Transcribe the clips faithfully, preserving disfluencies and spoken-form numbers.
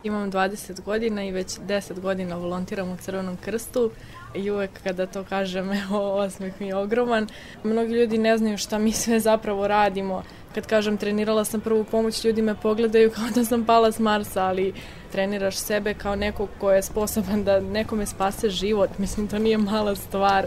Imam dvadeset godina i već deset godina volontiram u Crvenom krstu i uvek kada to kažem, evo, osmeh mi je ogroman. Mnogi ljudi ne znaju šta mi sve zapravo radimo. Kad kažem trenirala sam prvu pomoć, ljudi me pogledaju kao da sam pala s Marsa, ali treniraš sebe kao nekog ko je sposoban da nekome spase život. Mislim, to nije mala stvar.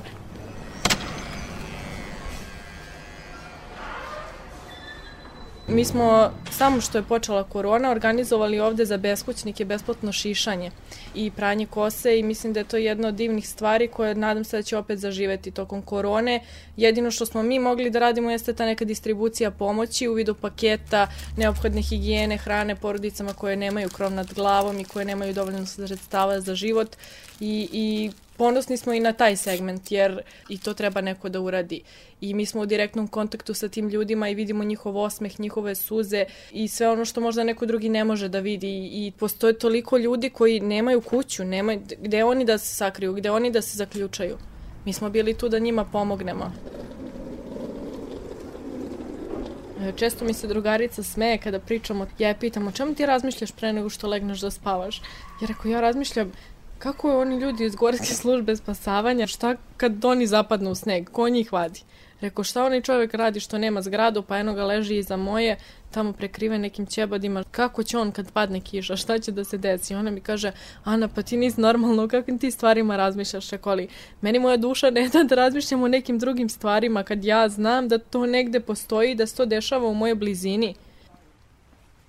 Mi smo, samo što je počela korona, organizovali ovde za beskućnike besplatno šišanje i pranje kose i mislim da je to jedna od divnih stvari koje nadam se da će opet zaživeti tokom korone. Jedino što smo mi mogli da radimo jeste ta neka distribucija pomoći u vidu paketa, neophodne higijene, hrane porodicama koje nemaju krov nad glavom i koje nemaju dovoljno sredstava za život i, i ponosni smo i na taj segment, jer i to treba neko da uradi. I mi smo u direktnom kontaktu sa tim ljudima i vidimo njihov osmeh, njihove suze i sve ono što možda neko drugi ne može da vidi. I postoje toliko ljudi koji nemaju kuću, nemaju, gde oni da se sakriju, gde oni da se zaključaju. Mi smo bili tu da njima pomognemo. Često mi se drugarica smeje kada pričamo, ja je pitam, o čemu ti razmišljaš pre nego što legneš da spavaš? Jer ako ja razmišljam, kako oni ljudi iz Gorske službe spasavanja, šta kad oni zapadnu u sneg, ko njih vadi? Rekao, šta onaj čovjek radi što nema zgradu, pa eno ga leži iza moje, tamo prekrive nekim ćebadima, kako će on kad padne kiša, šta će da se desi? Ona mi kaže, Ana, pa ti nisi normalno, o kakvim ti stvarima razmišljaš, rekoli, meni moja duša ne da da razmišljam o nekim drugim stvarima, kad ja znam da to negde postoji, da se to dešava u mojoj blizini.